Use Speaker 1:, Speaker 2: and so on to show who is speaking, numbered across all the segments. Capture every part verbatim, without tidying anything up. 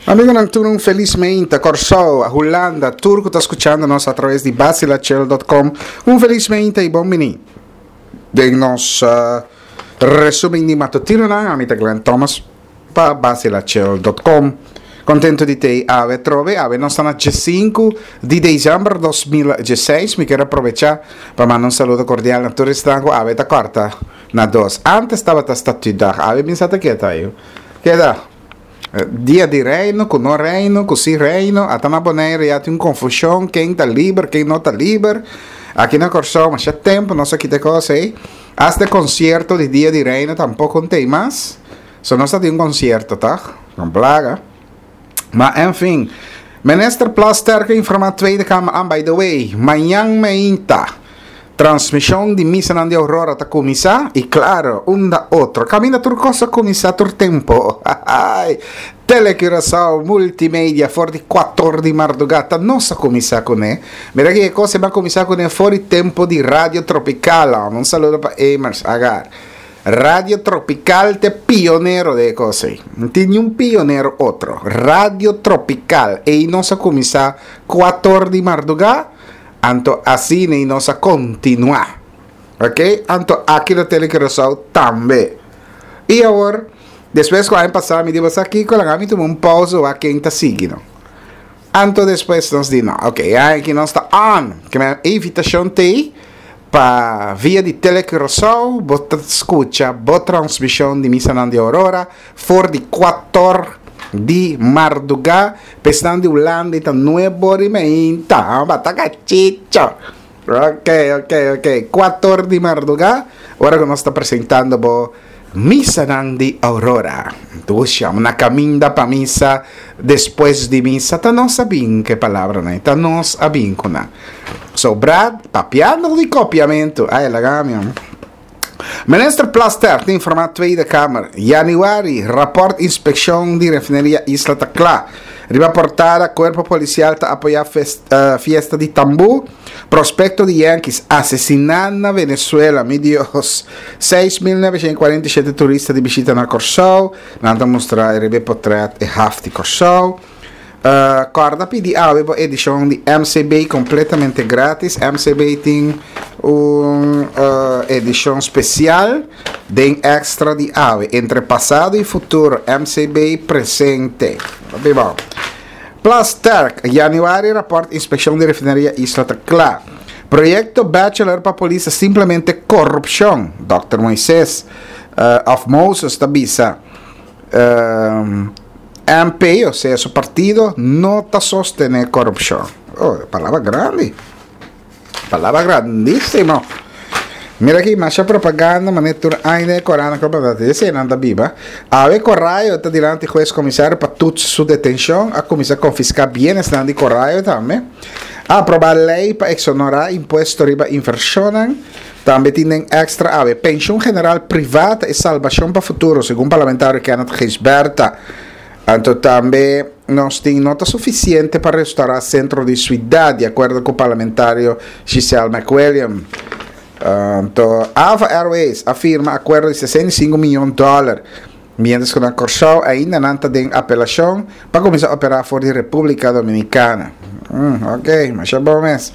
Speaker 1: Amigonan, tur un felis mainta. Kòrsou, Hulanda, tur ku ta skuchando nos atraves di basilachel punto com. Un felis mainta i bon bini den nos uh, resumen di matutinonan. Ami ta Glenn Thomas pa basilachel punto com. Contento di te awe trobe. Awe nos ta na diesinku di december dos mil diesseis. Mi quiero aprovechar pa mandar un saludo cordial na tur esnan ku awe ta corta na dos. Antes tabata statuutdag. Awe mi sa ta keda yo. Keda. Dia di reino, ku no reino, ku si reino. Ata na Bonaire ya tin un confusión, ken ta liber, ken no ta liber. Aki na Kòrsou, masha tempu, no sa kita kos ei. Hasta concierto di Dia di Reino tampoco no tin mas. So no sa tin un concierto, ta? Con plaga. Ma, en fin. Minister Plasterk informa Tweede Kamer aan, by the way, mañan mainta, transmisión di misanan di Aurora ta kuminsá, i klaro, unda otro. Kaminda tur kos a kuminsá tur tempu. Ai, Tele Curaçao Multimedia, for di kuater di mardugá, ta nos a kuminsá kuné. Mira ku kos a kuminsá kuné for di tempu di Radio Tropical. Un saludo pa Emers Agar. Radio Tropical ta pionero di kos. No tin ningun pionero otro. Radio Tropical. I nos a kuminsá kuater di mardugá. Anto asina ei nos a kontinuá. Ok? Anto aki na Tele Curaçao tambe. I awor, despues ku aña pasá, mi di aki, ku mi tuma un pausa, wak ken ta sigui, no? Anto despues nos di, no, ok, aki nos ta on. Ku mi invitashon t'ei pa via di Tele Curaçao, bo ta skucha bo transmishon di Misa di Aurora, for di kuater di mardugá, pa esnan di Hulanda ta nuebe i mei, bata chicho. Ok, ok, ok. kuater di mardugá, ora ku nos ta presentando bo Misa di Aurora. Anto, na kaminda pa misa, despues di misa, ta nos a bin ku palabra, no? Ta nos a bin ku nan. So, Brad, papiando di kopiamentu. Ai, laga mi. Minister Plasterk ta informá Tweede Kamer. Januari, rapport inspekshon di refineria Isla ta kla. Riba portada, kuerpo polisial ta apoyá festa, uh, fiesta di tambú. Prospekto di Yankees, asesiná na Venezuela, mi Dios. seis mil noveshentos i kuarenta i shete turista di bishita na Kòrsou. Nan ta mustra e portrèt e haf di Kòrsou. Uh, Kòrda pidi awe edishon di M C B kompletamente gratis. M C B tin un uh, edishon spesial di Extra di awe. Entre pasado i futuro, M C B presente. Bon. Plasterk, januari, rapport inspekshon di refineria Isla ta kla. Proyekto Bachelor pa polis simplemente korupshon. Doctor Moises uh, of Moses ta bisa. Um, M P, o sea, su partido, no ta sostené korupshon. Oh, palabra grandi. Palabra grandísimo. Mira aki, mas propaganda, mas tur ainda korant ku esei nan ta biba. Awe Corrayo ta dilanti hues komisario pa tur su detenshon, a kuminsá konfiská bienes di Corrayo tambe. A aprobá lei pa eksonerá impuesto riba invershon. Tambe tin Extra awe. Penshun general privá ta salbashon pa futuro, segun parlamentario Kenneth Gijsbertha. Anto tambe nos tin no ta sufisiente pa restourá sentro di siudat, di akuerdo ku parlamentario Giselle McWilliam. Anto, Ava Airways a firma akuerdo di sesenta i sinku mion di dòler, mientras ku na Kòrsou ainda nan ta den apelashon pa kuminsá operá for di Repúblika Dominikana. Hum, ok, mas ta bon mes.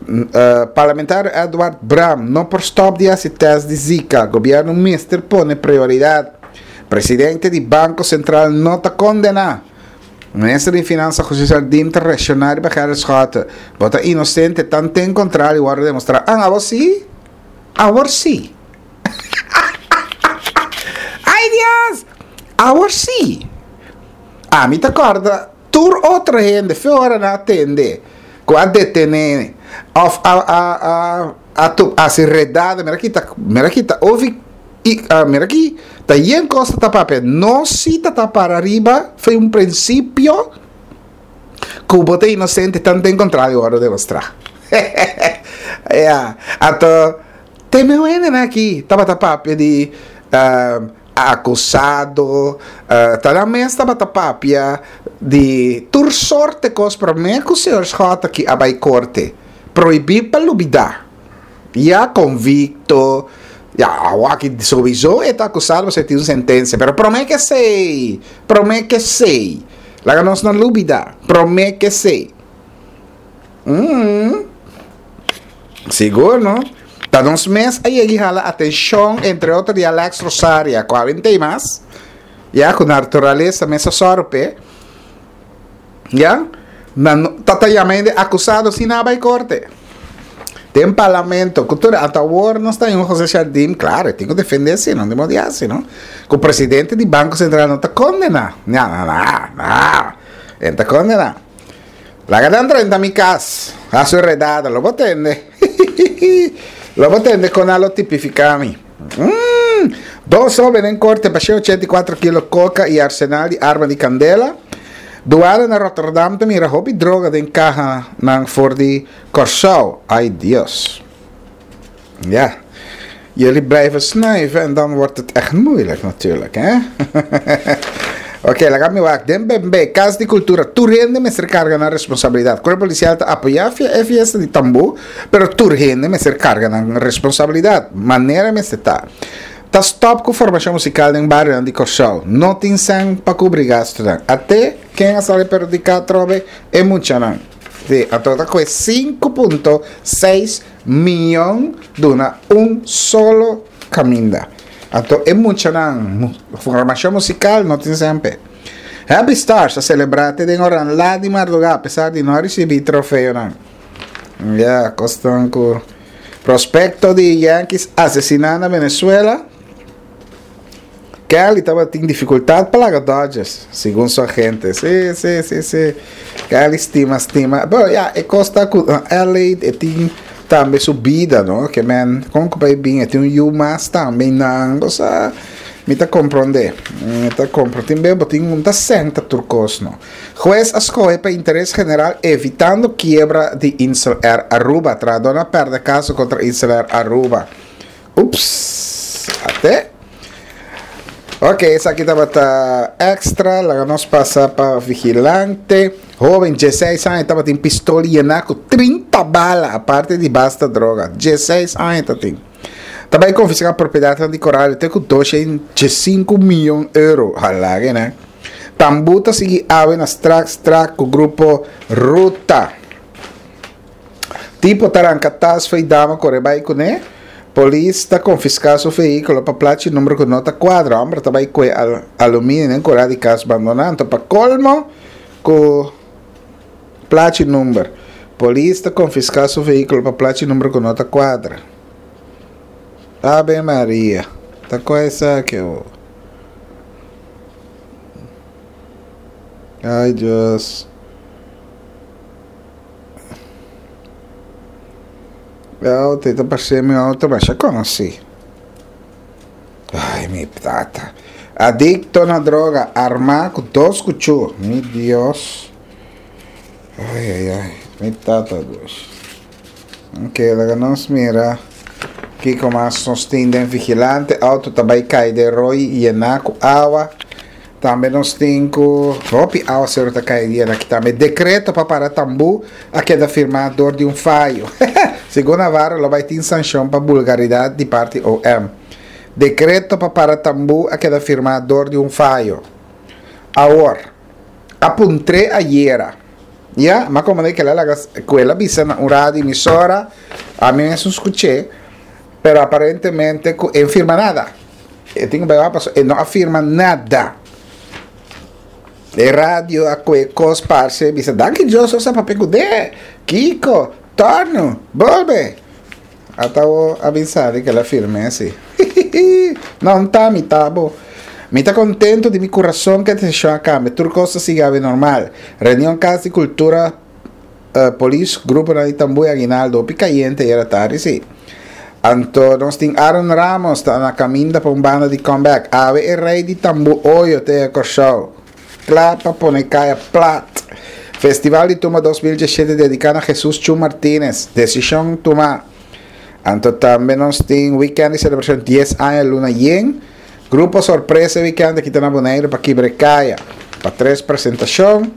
Speaker 1: Uh, parlamentario Edward Bram no por stòp di hasi tèst di Zika. Gobièrnu mester pone prioridat. Presidente di Banko Sentral no ta kondená. Minister di Finansa José Jardim ta reakshoná pa Gerrit Schotte. Bo ta inosente, tanten kontrario wòrdu demostrá. Ah, awor si? Awor si. Ai, Dios! Awor si. Ami ta kòrda tur otro hende, fe ora nan a tende, ku a detené, òf a a a a tu a ser redada, mira aki ta, mira aki ta, ouvi i uh, mira aki, ta yen kos ta papia, no si ta ta para ariba, foi un prinsipio ku bo ta inosente tanten kontrario wòrdu demostrá. Ja, anto te me aki, tabata papia di uh, akusado, uh, ta na mes tabata papia di tur sorto kos, promé ku señor Schotte aki a bai korte. Prohibí pa lubidá. Ya konvikto, ya, aki sowieso ta akusado, bo tin un sentensia, pero promé ku esei, promé ku esei. Laga nos no lubidá. Promé ku esei. Mm. Sigur, no? Ta nos mes a yega hala atenshon, entre otro, di Alex Rosaria, ku ta mas, ya, ku naturalesa mes a sòru p'e, ya, nan tabata yama akusado sin bai korte. Den parlamento, kultura, ata awor nos tin un José Jardim, klaro, tin ku defendé asina, no tin moda asina, no? Ku presidente di Banko Sentral no ta kondená. No, no, no, no. E ta kondená. Laga nan drenta mi kas, hasi redada, lo bo tende. Lo bo tende kon lo tipifiká mi. Mm. Dos hóben den korte pa ochenta i kuater kilo koka i arsenal di arma di kandela. Duana na Rotterdam ta mira hopi droga den kahanan for di Kòrsou. Ai Dios. Ja. Jullie blijven snuiven en dan wordt het echt moeilijk natuurlijk, hè? Oké, okay, laga mi wak. Den B N B, Kas di Kultura, tur hende mester karga nan responsabilidat. Kuerpo Polisial ta apoyá e fiesta di tambú, pero tur hende mester karga nan responsabilidat. Manera mester ta. Ta stòp ku formashon musikal den bario di Kòrsou. No tin sèn pa kubri gastu. Ata ken a sali perhudiká trobe e muchanan. Si, anto ta ku sinku punto seis mion duna un solo kaminda. Anto e muchanan, formashon musikal no tin semper. Happy Stars a selebrá den ora lat di mardugá, apesar di no risibí trofeonan. Ja, kosnan ku prospekto di Yankees asesiná na Venezuela. Kelly tabatin difikultat pa laga Dodgers, segun su agente. Si, si, si, si. Kelly stima, stima. Bon, ja, e kos ta ku L A e tin tambe su bida, no? Ke men, kon ku bai bin, e tin un yu mas tambe nan, osea, mi ta komprondé. Mi ta komprondé. Tin be, tin un ta senta tur kos, no? Hues a skohe pa interes general evitando kiebra di Insel Air Aruba. Trahadó a pèrdè kaso kontra Insel Air Aruba. Ups. Ate. Ok, esaki tabata Extra, laga nos pasa pa Vigilante. Hóben, diesseis aña, tabatin pistola yená ku trinta bala, aparte di basta droga. diesseis aña tabatin. Tambe konfiská propiedat di Coral, te ku dosshen sinku mion euro. Hala, ne? Tambú ta sigui awe na Strak Strak ku grupo Ruta. Tipo ta ranka tas fo'i dama kore bai kuné. Polis ta konfiská su vehíkulo pa plachi number ku no ta kuadra. Hòmber ta bai ku al aluminio den kurá di kas bandoná. Pa kolmo ku plachi number. Polis ta konfiská su vehíkulo pa plachi number ku no ta kuadra. Ave Maria. Ta kua esaki? Ai Dios. Auto, ta parse mi auto, mas ya konosí. Ai, mi tata. Adikto na droga, armá ku dos kuchú. Mi Dios. Ai, ai, ai. Mi tata, Dios. Ok, laga nos mira. Kiko mas nos tin den Vigilante? Auto ta bai kai den roi yená ku awa. Tambe nos tin ku hopi áwaseru ta kai dia aki tambe. Dekreto pa para tambú a keda firmá dor di un fayo. Segun Navarro, lo bai tin sanshon pa vulgaridat di parti O M. Dekreto pa para tambú a keda firmá dor di un fayo. Awor, a puntr'é ayera. Ya, mas komo ku el a ku el a bisa na un radio emisora, ami mes a skucha, pero aparentemente e no a firma nada. E tin ku e no a firma nada. E radio a kue kos parse bisa danki Dios sa papia ku de Kiko torno bolbe ata o avisar ku el a firma asina. No ta mi tabo. Mi ta kontentu di mi kurason ku e desishon a kambia. Tur kos a sigui normal. Reunion Kas di Kultura, uh, polis, grupo di tambú i aguinaldo, hopi kayente ayera tardi, si. Anto, nos tin Aaron Ramos, ta na kaminda pa un banda di comeback. Awe e rei di tambú Oyo te Kòrsou. Kla pa pone kaya plat. Festival di Tumba dos mil diesshete dediká na Jesus Chu Martinez. Desishon tumá. Anto tambe nos tin weekend di selebrashon dies aña Luna Yen. Grupo Sorpresa weekend aki na Boneiru pa kibra kaya. Pa tres presentashon.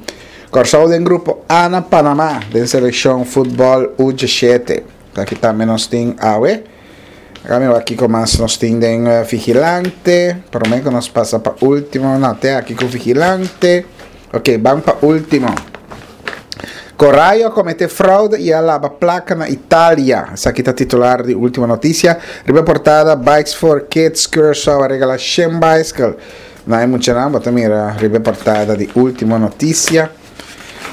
Speaker 1: Kòrsou den grupo A na Panamá, den selekshon futbòl U diesshete. Aki tambe nos tin awe. Awor aki ku mas nos tin den uh, Vigilante. Promé ku nos pasa pa último, no, te aki ku Vigilante. Ok, ban pa Ultimo. Corallo a komete fraude i a laba plaka na Italia. Esaki ta titular di Ultimo Noticia. Riba portada, Bikes for Kids Curaçao a regala shen bicycle na e muchanan. Bo ta mira riba portada di Ultimo Noticia.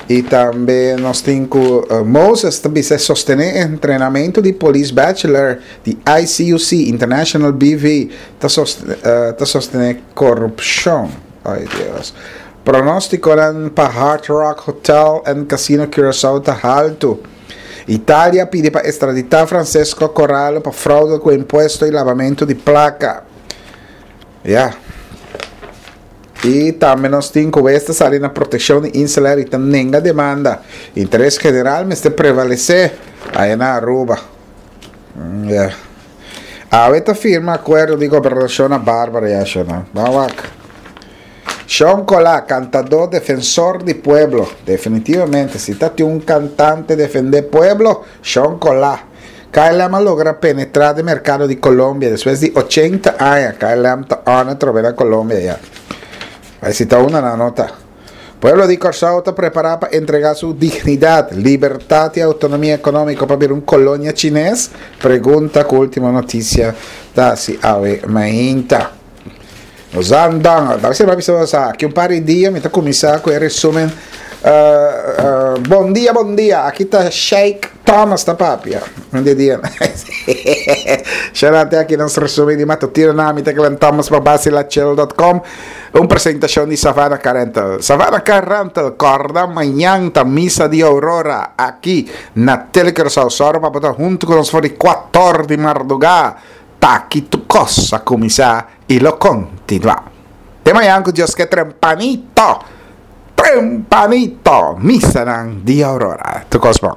Speaker 1: I tambe nos tin ku uh, Moses tambe ta sostené entrenamentu di Police Bachelor di I C U C International B V ta sostené, uh, ta sostené korupshon. Ai Dios. Pronóstiko pa Hard Rock Hotel and Casino Curaçao ta haltu. Italia ta pidi pa ekstraditá Francesco Corallo pa fraude ku impuesto i labamentu di plaka. Yeah. I tambe nos tin ku esta sali na protekshon di InselAir i ta nenga demanda. Interes general mester prevalesé ei na Aruba. Mm, yeah. Awe ta firma akuerdo di gobernashon na Barbara ya no. Ban. Sean Colá, kantadó defensor di pueblo. Definitivamente, si ta un kantante defendé pueblo, Sean Colá. K L M a logra penetrá den merkado di Colombia despues di ochenta aña. K L M ta on atrobe na Colombia ya. Ei ta un nota. Pueblo di Kòrsou ta prepará pa entregá su dignidat, libertat i outonomia ekonómiko pa bira un kolonia chines? Pregunta ku Ultimo Noticia ta hasi awe mainta. Nos andan, debe ser aki un par di dia, mi ta kuminsá ku e resúmen. Uh, uh, bon dia, bon dia. Aki ta Sheikh Thomas ta papia. Bon dia. Xerante aki nos resúmen di matutino na mi ta Thomas pa basilachel punto com. Un presentashon di Savannah Car Rental. Savannah Car Rental, kòrda, mañan ta misa di Aurora aki na Telecuraçao. Sòru pa ta huntu ku nos for di kuater di mardugá. T'aki tur kos a kuminsá i lo kontinuá. Te mañan ku Dios ke tempranito. Tempranito. Misa di Aurora. Tur kos bon.